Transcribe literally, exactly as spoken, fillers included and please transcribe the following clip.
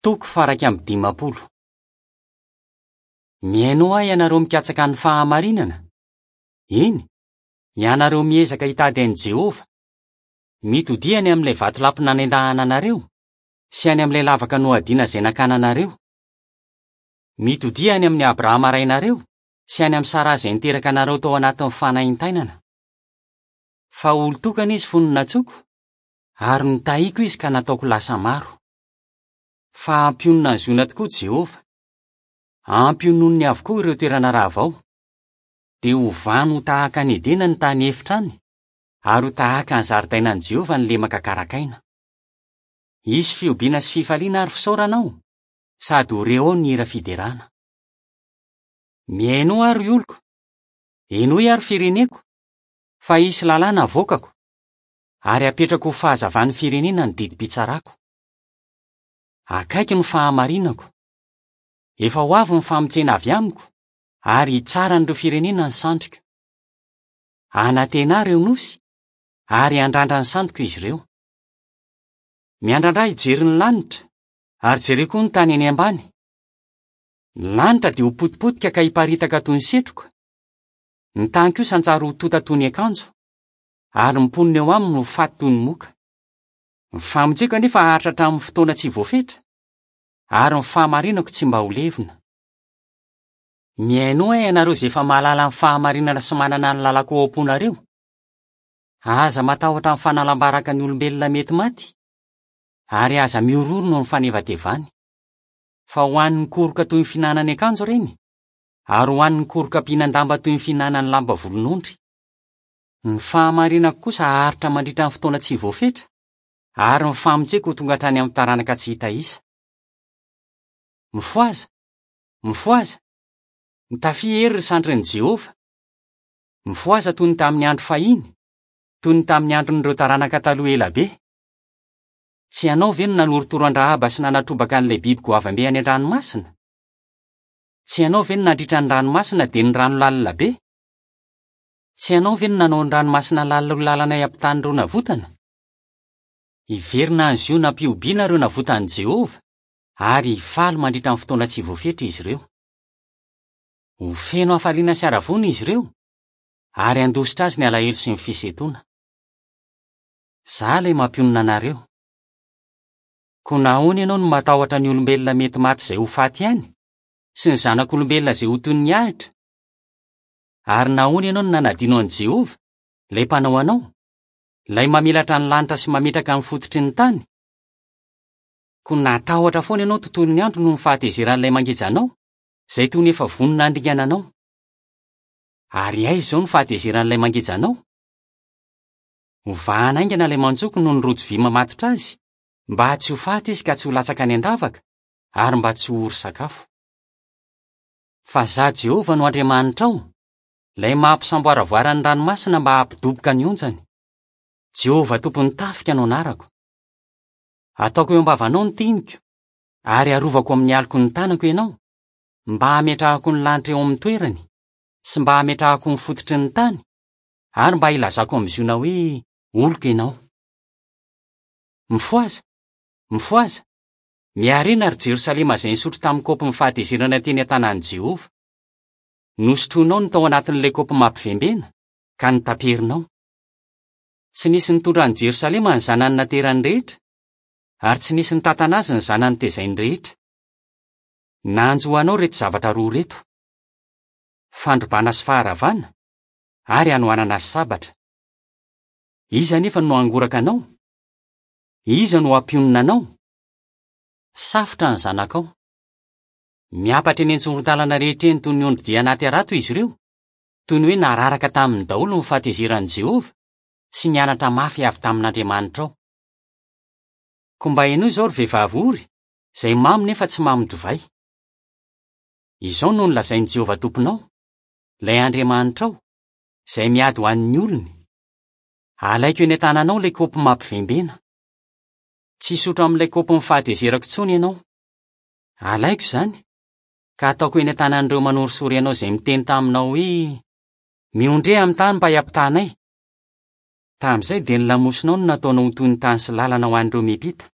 Toko faha-iraika amby dimampolo. Mihainoa ahy ianareo mikatsaka ny fahamarinana. Eny, ianareo miezaka hitady an'i Jehovah. Mitodiha any amin'ilay vatolampy nanendahana anareo sy any amin'ilay lavaka nohadiana izay nakana anareo. Mitodiha any amin'i Abrahama rainareo sy any amin'i Saraha izay niteraka anareo tao anatin'ny fanaintainana. Fa olon-tokana izy fony nantsoiko, ary nitahiko izy ka nataoko lasa maro. Fa hampionona an'i Ziona tokoa Jehovah. Hampiononiny avokoa ireo toerana rava ao. Dia hovany ho tahaka ny Edena ny tany efitra any, ary ho tahaka ny zaridainan'i Jehovah ny lemaka karakaina. Hisy fihobiana sy fifaliana ary fisaorana ao, sady ho re ao ny hira fiderana. Mihainoa aho ry oloko, henoy aho ry fireneko, fa hisy lalàna avoakako, ary hapetrako ho fahazavan'ny firenena ny didim-pitsarako. Akaiky ny fahamarinako. Efa ho avy ny famonjena avy amiko, ary hitsara an'ireo firenena ny sandriko. Hanantena ahy ireo nosy, ary handrandra ny sandriko izy ireo. Miandrandra hijery ny lanitra, ary jereo koa ny tany eny ambany. Ny lanitra dia ho potipotika ka hiparitaka toy ny setroka. Ny tany kosa hanjary ho tonta toy ny akanjo, ary ny mponina eo aminy ho faty toy ny moka. Ny famonjeko anefa haharitra hatramin'ny fotoana tsy voafetra, ary ny fahamarinako tsy mba ho levona. Mihainoa ahy ianareo izay efa mahalala ny fahamarinana sy manana ny lalako ao am-ponareo. Aza matahotra ny fanalam-baraka ny olombelona mety maty, ary aza mihorohoro noho ny fanevatevany. Fa ho an'ny koroka toy ny fihinanany akanjo ireny, ary ho an'ny koroka mpihinan-damba toy ny fihinanany lamba volon'ondry. Ny fahamarinako kosa haharitra mandritra ny fotoana tsy voafetra, ary ny famonjeko ho tonga hatrany amin'ny taranaka tsy hita isa. Mifohaza, mifohaza, mitafia hery ry sandrin'i Jehovah. Mifohaza toy ny tamin'ny andro fahiny, toy ny tamin'ny andron'ireo taranaka taloha ela be. Tsy ianao ve no nanorotoro an-dRahaba sy nanatrobaka an'ilay biby goavambe any an-dranomasina? Tsy ianao ve no nandritra ny ranomasina dia ny rano lalina be? Tsy ianao ve no nanao ny ranomasina lalina ho lalana hiampitan'ireo navotana? Hiverina any Ziona am-pihobiana ireo navotan'i Jehovah, ary hifaly mandritra ny fotoana tsy voafetra izy ireo. Ho feno hafaliana sy haravoana izy ireo, ary handositra azy ny alahelo sy ny fisentoana. Izaho ilay mampionona anareo. Koa nahoana ianao no matahotra ny olombelona mety maty izay ho faty ihany, sy ny zanak'olombelona izay ho toy ny ahitra? Ary nahoana ianao no nanadino an'i Jehovah, ilay mpanao anao, ilay mamelatra ny lanitra sy mametraka ny fototry ny tany? Koa natahotra foana ianao tontolon'ny andro noho ny fahatezeran'ilay mangeja anao, izay toy ny efa vonona handringana anao. Ary aiza izao ny fahatezeran'ilay mangeja anao? Hovahana haingana ilay manjoko noho ny rojo vy mamatotra azy, mba tsy ho faty izy ka tsy ho latsaka any an-davaka, ary mba tsy ho ory sakafo. Fa izaho Jehovah no Andriamanitrao, ilay mampisamboaravoara ny ranomasina mba hampidoboka ny onjany. Jehovah tompon'ny tafika no anarako. Ataoko eo am-bavanao ny teniko, ary arovako amin'ny aloky ny tanako ianao, mba hametrahako ny lanitra eo amin'ny toerany, sy mba hametrahako ny fototry ny tany, ary mba hilazako amin'i Ziona hoe oloko ianao. Mifohaza, mifohaza, miarena ry Jerosalema izay nisotro tamin'ny kaopin'ny fahatezerana teny an-tanan'i Jehovah. Nosotroinao ny tao anatin'ilay kaopy mampivembena, ka nitaperinao. Tsy nisy nitondra an'i Jerosalema ny zanany naterany rehetra, ary tsy nisy nitantana azy ny zanany tezainy rehetra. Nanjo anao ireto zavatra roa ireto: fandrobana sy faharavana, ary hanoanana sy sabatra. Iza anefa no hangoraka anao? Iza no hampionona anao? Safotra ny zanakao. Miampatra eny an-tsoron-dalana rehetra eny toy ny ondry dia anaty harato izy ireo, toy ny hoe nararaka taminy daholo ny fahatezeran'i Jehovah sy nianatra mafy avy tamin'Andriamanitrao. Koa mba henoy izao ry vehivavy ory, izay mamo nefa tsy mamo divay. Izao no nolazain'i Jehovah tomponao, ilay Andriamanitrao, izay miady ho an'ny olony. Alaiko eny an-tananao ilay kaopy mampivembena. Tsy hisotro amin'ilay kaopin'ny fahatezerako intsony ianao. Alaiko izany, ka ataoko eny an-tanan'ireo manorisory anao izay miteny taminao hoe: "Miondreha amin'ny tany mba hiampitanay." Tamin'izay dia ny lamosinao no nataonao ho toy ny tany sy lalana ho an'ireo miampita.